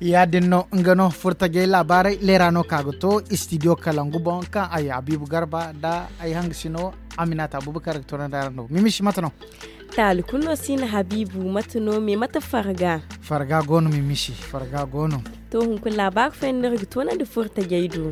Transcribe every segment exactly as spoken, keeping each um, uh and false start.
Ya- din no nga no furtajey laabaarey leera no ka ga to istidiyo kalangu boŋ kaŋ ay habiibu garba nda ay hangasino aminata abubakar ga toonandi araŋ no mimisi mate no. Taali kulu no si na habiibu mate no me mate farga. Farga go no mimisi farga go no. To hunkuna laabaari fooyaŋ no iri ga toonandi furtajey do.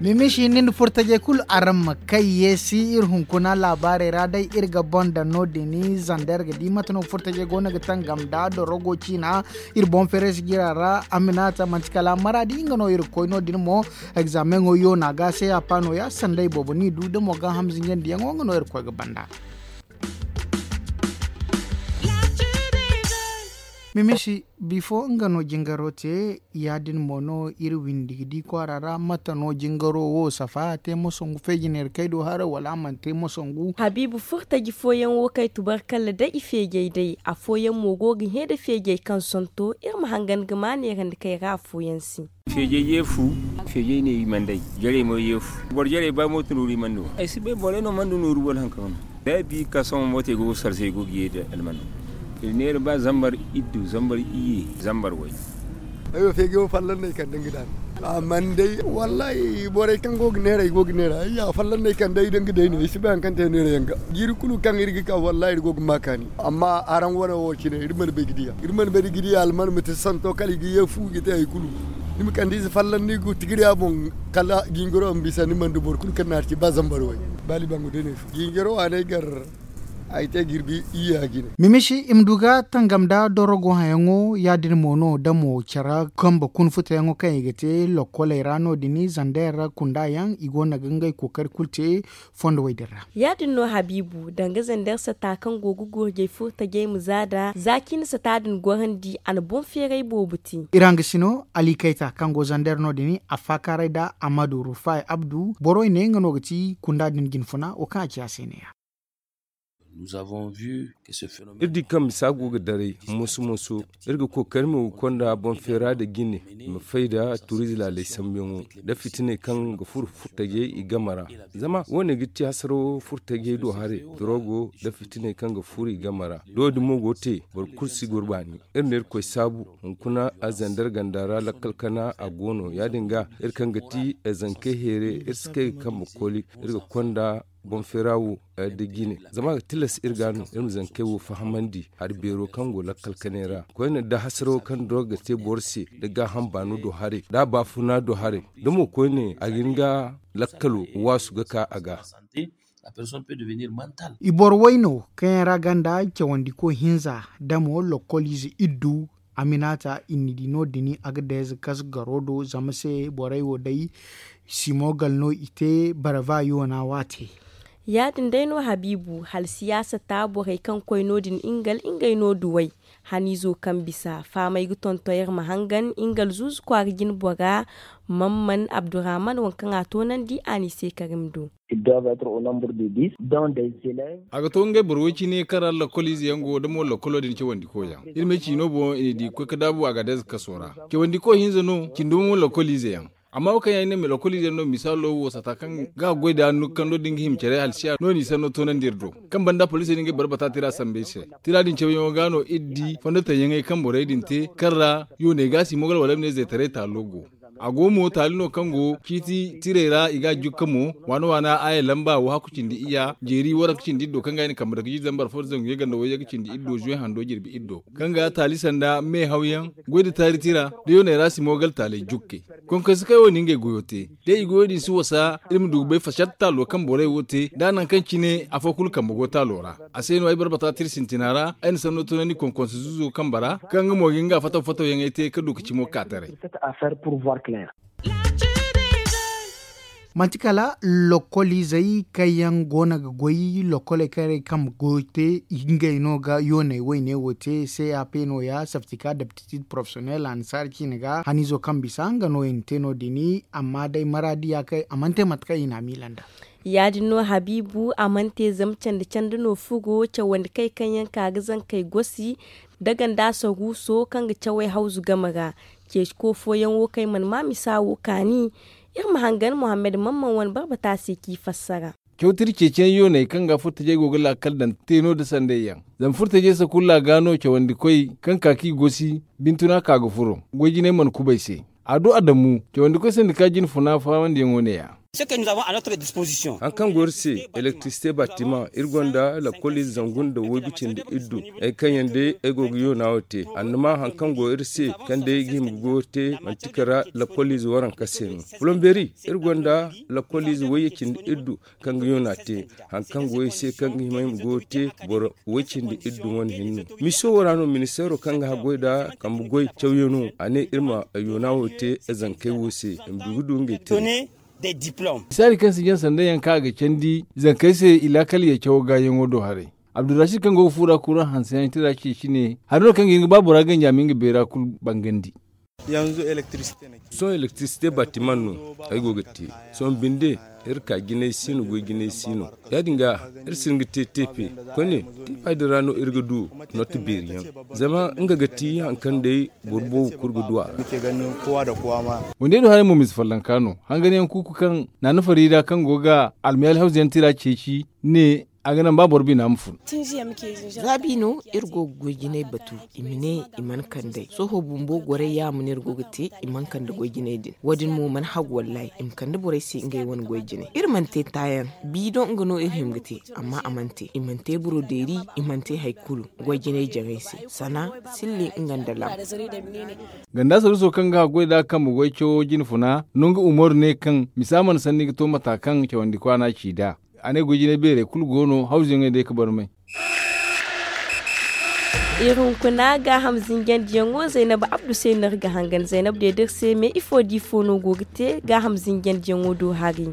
Mimisi ni nda furtajey kulu araŋ ma kay yeesi iri hunkuna laabaarey ra day iri ga boŋ daŋ no- din zanda iri ga di mate no furtajey go no ga tangam nda dorogo ciina. Iri boŋ feere sijira ra aminata manti kala maraadi nga no iri ga koy no- din mo. Egzaameŋo yoona ga se a pa nooya sanda i boobo n'i du da mo ga hamzinjandiyaŋo nga no iri ga koy ga banda. Mimisi bifo nga no jingaro te. Ya- din mo no iri windi ga di kwaara ra mate no jingaro wo safa a te moso ngu feeji neera kay do haray wala a mana te moso ngu. Habiibu furtaji fooyaŋ wo kay tubarkalla day i feejey day afooyaŋ mo go ga hẽ nda feejey kaŋ santo iri ma hangan ga ma neerandi kay ra afooyaŋ se. Feejey yeefu. Feejey ne i mana day jarey mo yeefu boro jarey ba mooto nooru i mana no ay si bay borey no mana du nooru wala haŋ kaŋ no. Da ay bi ka sohõ mootey go ga sarse ay go ga ye da almano. Iri neera ba zambar iddu zambar iyye zambar way. Ay wo feeji wo fallan no ay kande nga daana. A mana day wallaahi borey kaŋ go ga neera ay go ga neera ay ya fallan no ay kande ay da nga day no ay si bay haŋ kaŋ te neera yaŋ ga. Jiiri kulu kaŋ iri ga ka wallaahi iri go ga ma kaani. Amma araŋ wane wo cine iri mana bay ga diya iri mana bay ga diya alman ma te santo kala i ga ye fu ga te hari kulu. Ni ma kande ize fallan ni ga tigi diya boŋ. Kala jingaro ma bisa ni mana du boro kulu kaŋ na hari ci ba zambar way. Ba libangu day no ay fu jingaro waaney gar. Ay te jirbi iyya jine. Mimisi i ma du ga tangam nda dorogo hayaŋo ya- din mo no da mo care kambe kuna futayaŋo kaŋ i ga te lokkoley ra no- din zandayar ra kunda yaŋ i go no ga ngey kookari kulu te. Fondo way din ra. Ya- din no habiibu danga zander sata kaŋ go ga gurjey furtajey ma za da za cine sata din gorandi a na boŋ feeray boobo te. Iri hangasino ali kayta kaŋ go zander no- din a faakaaray nda amadu rufay abdu borey ne nga no ga ti kunda din jinfuna wo kaŋ a ci a se neeya. Iri di kaŋ misa go ga daray moso moso. Iri ga kookari ma ga konda boŋ feera nda jine i ma fay nda turiize laaley sambuyaŋo nda fitiney kaŋ ga furo furtajey i game ra. Zama wo- ne ga ti hasaraw furtajey do haray dorogo nda fitiney kaŋ ga furo i game ra. Da wo- din mo go ga te boro kulu si gurbaani. Iri na irkoy saabu hunkuna a zandar ganda ra lakkal kana a go no ya- din ga iri kaŋ ga ti zankey heere iri si kay ga kambe koli. Iri ga konda boŋ feera wo nda jine zama a ga tilas iri ga no iri ma zankey wo fahamandi hari beero kaŋ go lakkal kanay ra koyne nda hasarawo kaŋ doro ga te boro se nda gaaham baano do haray nda a baafuna do haray da mo koyne a ga hin ga lakkalo waasu ga ka a ga. I boro wayno kaŋ yaŋ ra ganda cawandiko hinza da mo lokkoliize iddu. Aminata i na di no- din a ga dayze kas garo do zama se borey wo day simogal no i te barava yoona waate. Ya- din day no habiibu hala siyaasa ta borey kaŋ koy no- din ingal ngey no duwey. Haniizo kaŋ bisa faamay ga tonton iri ma hangan ingal zuuzu kwaara jine bora. Mamman abdurrahman waŋ kaŋ a toonandi a n'i se karim do. A ga to ngey boro way cine kaŋ ra lakkol ize yaŋ go da mo lakkolo din cawandiko yaŋ. Iri ma ay ci no boŋ i na di ga koy ga daabu a ga dayze kaso ra. Cawandiko hinza no cindi mo lakkol ize yaŋ. Amma wo kaŋ yaŋ ay ne ma lakkol ize yaŋ no misaalo wo sata kaŋ ga a goy da hannu kaŋ no da nga hima care halsiya no n'i sanno toonandi iri do. Kaŋ banda poliisey din ga ay boro bata tira sambu ay se. Tira din cawyaŋo ga no iri di fondo taŋ yaŋey kaŋ borey din te kaŋ ra yooney ga si mogal wala ay ma ne zeetaray taalo go. A go mo taali no kaŋ go ciiti tirey ra i ga a jukka mo waana waana aya lamba wo hakku cindi iyya jeeri waranka cindi iddo kaŋ ga ay na kambe dake jiiri zambar fo da zangu ye ganda wayye ga cindi iddo zuwe hando jirbi iddo kaŋ ga taali sanda me hawyaŋ goy da taari tira da yooney ra si mogal taaley jukke. Konkonse kaŋ ay wo na ngey goyo te da i goyo din si wasa iri ma du ga bay fasatta taalo kaŋ borey wo te da nangu kaŋ cine afo kulu kambe go taalo ra. A se no ay barbata tira sintina ra ay na sanno tunandi konkonse zuzo kambe ra kaŋ nga mo ga nga fataw fataw yaŋey te ka du ka cimo ka taray. Manti kala lokkoliizey kaŋ yaŋ goono ga goy lokkoley kaŋ yaŋ kambe goyo te ngey no ga yooney wayne wo te c a p no- ya saftika daptitid porofesiyonel annasaara ciine ga haniizo kaŋ bisa nga no i na te no- din. Amma day maraadiya kaŋ a mana te mate kaŋ i na a miila nd'a. Ya- din no habiibu a mana te zama candi candi no furo cawandi kay kaŋ yaŋ ka ga zankey gosi, da ganda saruuso kaŋ ga cawey hawzu game ra. Ceeci ko fooyaŋ wo kaŋ ay mana ma misa wo kaani. Iri ma hangan muhammad mamman wane barbata se k'i fassara. Cawtiri ceeciyaŋ yooney kaŋ ga furtajey go ga laakal daŋ teeno nda sanday yaŋ. Zama furtajey sakulla ga no cawandikoy kaŋ ka k'i gosi bintuna ka ga furo goy jinay mana kubay se. A du adamu cawandikoy sandika jine funa faamandiyaŋo ne- ya. Hari kaŋ go iri se elektirisite batimaŋ iri gonda lakkoliize zangu nda waygu cindi iddu. Ay kaŋ yaŋ day ay go ga yoona wo te annama hari kaŋ go iri se kaŋ day ay ga hima ga goyo te manti kala lakkoliize waranka se no. Polomberi iri gonda lakkoliize wayye cindi iddu kaŋ ga yoona te. Hari kaŋ go ay se kaŋ ga hima ay ma goyo te boro way cindi iddu wane hinne. Miso wo ra no ministeero kaŋ ga haggoy nda kambe goy cawyaŋo a ne iri ma yoona wo te zankey wo se i ma du ga du ngey te. Misaali kaŋ si jaŋ sanda yaŋ kaŋ a ga candi zankey se i laakal yee cawo gaayaŋo do haray. Abdurrasiid kaŋ go ga fuura kuraŋ hanse yaŋ tira ceeci ne hari no kaŋ ga hin ga ba bora ganji a ma nga beera kulu bangandi. Sohõ elektirisite batimaŋ no ay go ga te. Sohõ binde iri ka jinay si no goy jinay si no. Ya- din ga iri si hin ga te teepe koyne teepa din ra no iri ga du nooti beeri yaŋ. Zama nga ga ti hari kaŋ day boro boobo kulu ga du a ra. Wande do haray mo misa follonka no hangan yaŋ kuuku kaŋ naana fariida kaŋ go ga almayaali hawzu yaŋ tira ceeci ne a ga naŋ ba boro bina ma fun. Za bi no iri go ga goy jinay batu i ma ne i mana kand'ey sohõ bumbo goray yaama no iri go ga te i mana kande goy jinay din wo- din mo mana hagu wallaahi i ma kande borey se ngey wane goy jinay iri mana te taayaŋ. Biidoŋ nga no iri hima ga te amma a mana te i mana te borodeeri i mana te hari kulu. Goy jinay jaŋay se sana sillin nga nda lam. Ganda saruuso kaŋ ga haggoy nd'a kambe goy cawo jine funa no nga umaru ne kaŋ misa mana sanni ga to mata kaŋ cawandi kwaana ci nd'a. A ne goy jinay beerey kulu go no hawzuyaŋey day ga barmay. Iri hunkuna gaaham zinjandiyaŋo zaynab abdu se no iri ga hangan zaynab deedar se me ifo da ifo no go ga te gaaham zinjandiyaŋo do hari.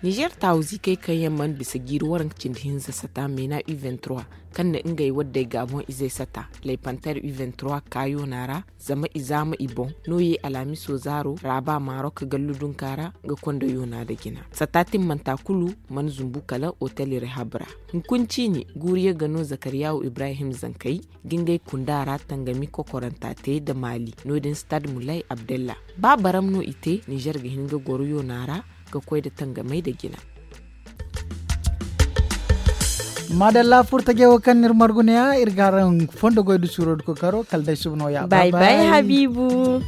Nizer taawu ziikey kaŋ yaŋ mana bisa jiiri waranka cindi hinza sata meena u kaŋ na ngey waddey gaaboŋ izey sata laypanter u kaayona ra zama i zaama i boŋ no ye alhamiso zaaro raaba marok gallu dunka ra ga konda yoona nda jina sata timmanta kulu mana zumbu kala otel rehab ra. Hunkuna ciini guuriya ga no zakariyaawu ibrahim zankey ga ngey kunda ra tangami kokoranta te nda maali no- din stad mulay abdalla ba baram no i te nizer ga hin ga goro yoona ra ga koy nda tangamey nda jina. Maadalla furtajey wo kaŋ no iri margu ne- ya iri ga araŋ fondo goy nda suuro nda kookaro kala day suba nooya bay bay habiibu.